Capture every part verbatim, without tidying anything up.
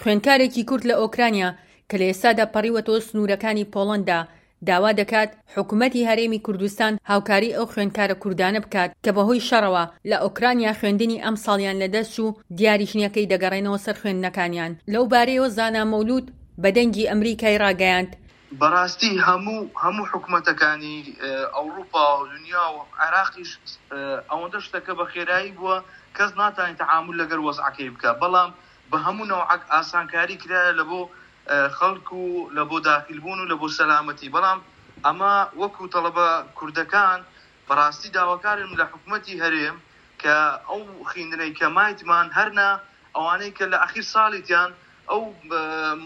خوێندکارێکی کورد لە ئۆکرانیا کە لە ئێستادا پەڕیوەتەوە سنوورەکانی پۆڵەندا، داوا دەکات حکومەتی هەرێمی کوردستان هاوکاری ئەو خوێندکارە کوردانە بکات کە بەهۆی شەڕەوە لە ئۆکرانیا خوێندنی ئەمساڵیان لەدەست چوو، دیاریش نییە کەی دەگەڕێنەوە سەر خوێندنەکانیان. لەو بارەیەوە زانا مەولود بە دەنگی ئەمریکای ڕاگەیاند، بەڕاستی هەموو هەموو حکومەتەکانی ئەوروپا و دنیا و عێراقیش ئەوەندە شتەکە بە خێرایی بووە کەس ناتوانێت تەعامول لەگەر وەزعەکەی بکە، بەڵام بە هەموو نەوعەک ئاسانکاری کرایە لە بۆ خەڵک و لە بۆ داخیل بوون و لە بۆ سەلامەتی. بەڵام ئەمە وەکو تەڵەبە کوردەکان بەڕاستی داواکارم لە حکومەتی هەرێم کە ئەو خیندنەی کە مایتمان هەرنا ئەوانەی کە لە ئەخیر ساڵیتیان ئەو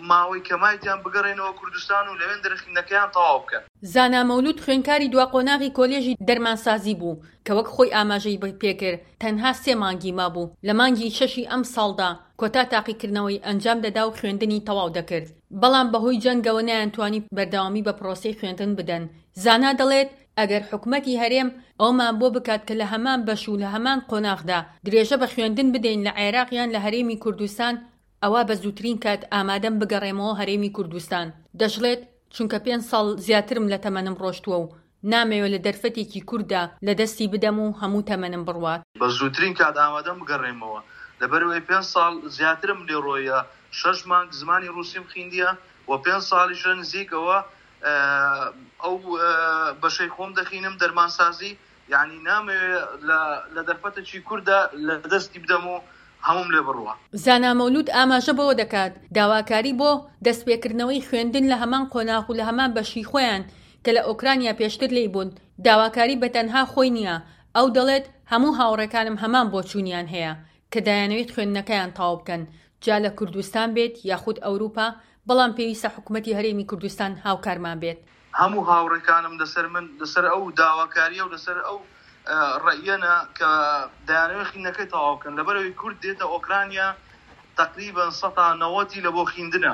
ماوەی کە مایتیان بگەڕێنەوە کوردستان و لەوێن دەرخیندنەکەیان تەواو بکەن. زانا مەولود خوێندکاری دوا قۆناغی کۆلێژی دەرمانسازی بوو کە وەک خۆی ئاماژەی پێکرد تەنها سێ مانگی مابوو، لە مانگی شەشی ئەم ساڵدا کۆتا تاقیکردنەوەی ئەنجام دەدا و خوێندنی تەواو دەکرد، بەڵام بەهۆی جەنگەوە نەیانتوانی بەردەوامی بە پرۆسەی خوێندن بدەن. زانا دەڵێت ئەگەر حکومەتی هەرێم ئەومان بۆ بکات کە لە هەمان بەش و لە هەمان قۆناغدا درێژە بە خوێندن بدەین لە عێراق یان لە هەرێمی کوردستان، ئەوە بە زووترین کات ئامادەم بگەڕێمەوە هەرێمی کوردستان. دەشڵێت چونکە پێنج ساڵ زیاترم لە تەمەنم ڕۆشتووە و نامەوێت لە دەرفەتێکی کورددا لە دەستی بدەم و هەموو تەمەنم بڕوات. بە زووترین کات ئامادەم بگەڕێمەوە، لەبەرەوەی پێنج ساڵ زیاترم لێ ڕۆیە، شەش مانگ زمانی ڕووسیم خیندیە و پێنج ساڵیشە نزیکەوە ئەو بەشەی خۆم دەخینم دەرمانسازی، یعنی نامەوێت لە دەرفەتێکی کورددا لە دەستی بدەم و هەموم لێ بڕوە. زانا مەولود ئاماژە بەوە دەکات داواکاری بۆ دەستپێکردنەوەی خوێندن لە هەمان قۆناغ و لە هەمان بەشی خۆیان کە لە ئۆکرانیا پێشتر لێی بوون، داواکاری بە تەنها خۆی نییە. ئەو دەڵێت هەموو هاوڕێکانم هەمان بۆچوونیان هەیە کە دایانەوێت خوێندنەکەیان تەواو بکەن، جا لە کوردستان بێت یاخود ئەوروپا، بەڵام پێویستە حکوومەتی هەرێمی کوردستان هاوکارمان بێت. هەموو هاوڕێکانم لەسەر من لەسەر ئەو داواکاریە و لەسەر ئەو ڕەئیەنە کە دایانەوێت خوێندنەکەی تەواو بکەن، لەبەرەوەی کورد دێتە ئۆکرانیا تقریبا سەتا نەوەتی لە بۆ خوێندنە.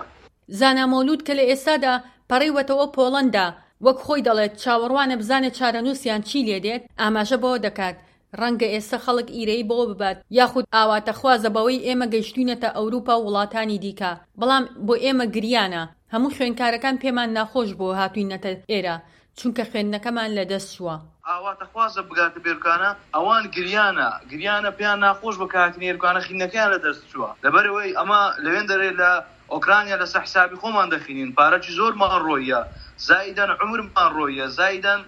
زانا مەولود کە لە ئێستادا پەڕیوەتەوە پۆڵەندا، وەک خۆی دەڵێت چاوەڕوانە بزانێت چارەنووسیان چی لێ دێت، ئاماژە بەوە دەکات ڕەنگە ئێستا خەڵک ئیرەیی بەوە ببات یاخود ئاواتەخوازە بەوەی ئێمە گەیشتوینەتە ئەوروپا و وڵاتانی دیکە، بەڵام بۆ ئێمە گریانە. هەموو خوێندکارەکان پێمان ناخۆش بۆ هاتوینەتە ئێرە چونکە خوێندنەکەمان لەدەست چووە. ئاواتەخوازە بگاتە بێرکانە، ئەوان گریانە گریانە پێیان ناخۆش بە کاتنی ئێرکانە خینەکەیان لەدەست چووە، لەبەرەوەی ئەمە لەوێن دەرێ لە ئۆکرانیا لەسەر حسابی خۆمان دەخینین، پارەی زۆرمان ڕۆیە، زایدەن عمرمان ڕۆیە، زایدەن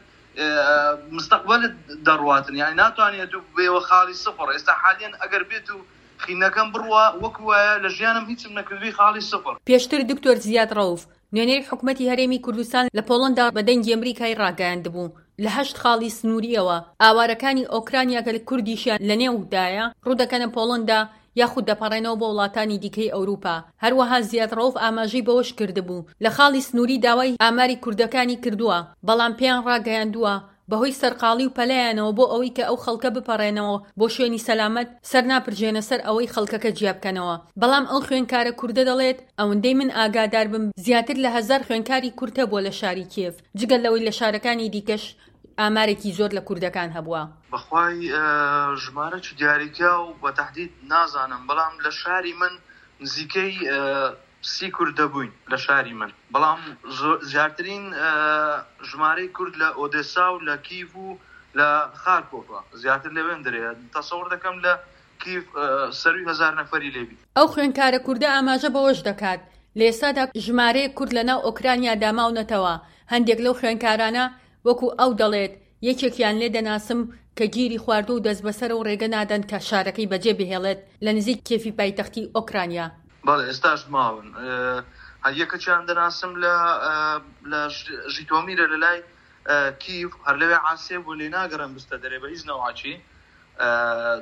مستقبلت دەڕواتن، یعنی ناتوانێت و بێوە خاڵی سفر. ئێستا حالیان ئەگەر بێت و خینەکەم بڕوە وەکو وایە لە ژیانم هیچم نەکردووی خاڵی سفر. پێشتر دکتۆر زیاد ڕەوف نوێنەری حکومەتی هەرێمی کوردستان لە پۆڵەندا بە دەنگی ئەمریکای ڕاگەیاندبوو لە هەشت خاڵی سنووریەوە ئاوارەکانی ئۆکرانیا کە کوردیشیان لەنێودایە ڕوودەکەنە پۆڵەندا یاخود دەپەڕێنەوە بۆ وڵاتانی دیکەی ئەوروپا. هەروەها زیاد ڕەوف ئاماژەی بەوەش کردبوو لە خاڵی سنووری داوای ئاماری کوردەکانی کردووە، بەڵام پێیان ڕاگەیاندووە بەهۆی سەرقاڵی و پەلایانەوە بۆ ئەوەی کە ئەو خەڵکە بپەڕێنەوە بۆ شوێنی سەلامەت سەر ناپرژێنە سەر ئەوەی خەڵکەکە جیا بکەنەوە. بەڵام ئەو خوێندکارە کوردە دەڵێت ئەوەندەی من ئاگادار بم زیاتر لە هەزار خوێندکاری کورد هەبووە لە شاری کیێڤ، جگە لەوەی لە شارەکانی دیکەش ئامارێکی زۆر لە کوردەکان هەبووە. بەخوای ژمارە چ دیاریکا و بە تەحدید نازانم، بەڵام لە شاری من نزیکەی سی کورد دەبووین لە شاری من، بەڵام زیاترین ژمارەی کورد لە ئۆدێسا و لە کیڤ و لە خارکۆفە زیاتر لەوێن دەرێ. تەسەور دەکەم لە کیڤ سەروی هەزار نەفەری لێبی. ئەو خوێندکارە کوردە ئاماژە بەوەش دەکات لە ئێستادا ژمارەیەک کورد لەناو ئۆکرانیادا ماونەتەوە. هەندێک لەو خوێندکارانە وەکو ئەو دەڵێت یەکێکیان لێ دەناسم کە گیری خواردووە و دەستبەسەرە و ڕێگە نادەن کە شارەکەی بەجێ بهێڵێت لە نزیک کێفی پایتەختی ئۆکرانیا. بەڵێ ئێستاش ماون. هەر یەکەکیان دەناسم لە لە ژیتۆمیرە لە لای کیڤ، هەر لەوێ عاسێ بوو، لێ ناگەڕێن بستە دەرێ بە هیچ نەوعەکی،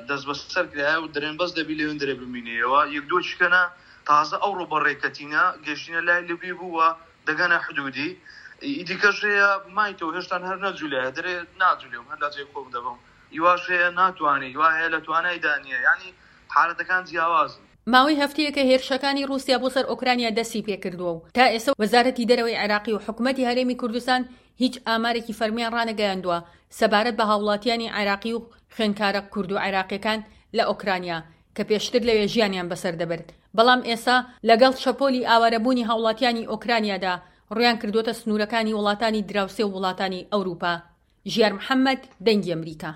دەست بەسەر کرایە و دەرێن بەس دەبی لەوێن دەرێ بمینەیەوە. یەک دوو چکەنە تازە ئەو ڕۆ بەڕێکەتینە گەشتینە لای لبی بوو و دەگەنە حدودی ئیدیکەش هەیە مایتەوە هێشتان هەر نەجوولایە دەرێ ناجولێم هەر لە جێی خۆم دەبم. ئیواش هەیە ناتوانێت، ئیوا هەیە لە توانایدا نییە، یعنی حالەتەکان جیاوازن. ماوەی هەفتەیەکە هێرشەکانی ڕووسیا بۆ سەر ئۆکرانیا دەستی پێکردووە و تا ئێستا وەزارەتی دەرەوەی عێراقی و حکوومەتی هەرێمی کوردستان هیچ ئامارێکی فەرمیان ڕانەگەیاندووە سەبارەت بە هاوڵاتیانی عێراقی و خوێندکارە کورد و عێراقیەکان لە ئۆکرانیا کە پێشتر لەوێ ژیانیان بەسەر دەبرد، بەڵام ئێستا لەگەڵ شەپۆلی ئاوارەبوونی هاوڵاتیانی ئۆکرانیادا ڕوویان کردووەتە سنوورەکانی وڵاتانی دراوسێ و وڵاتانی ئەوروپا. ژیار محەممەد، دەنگی ئەمریکا.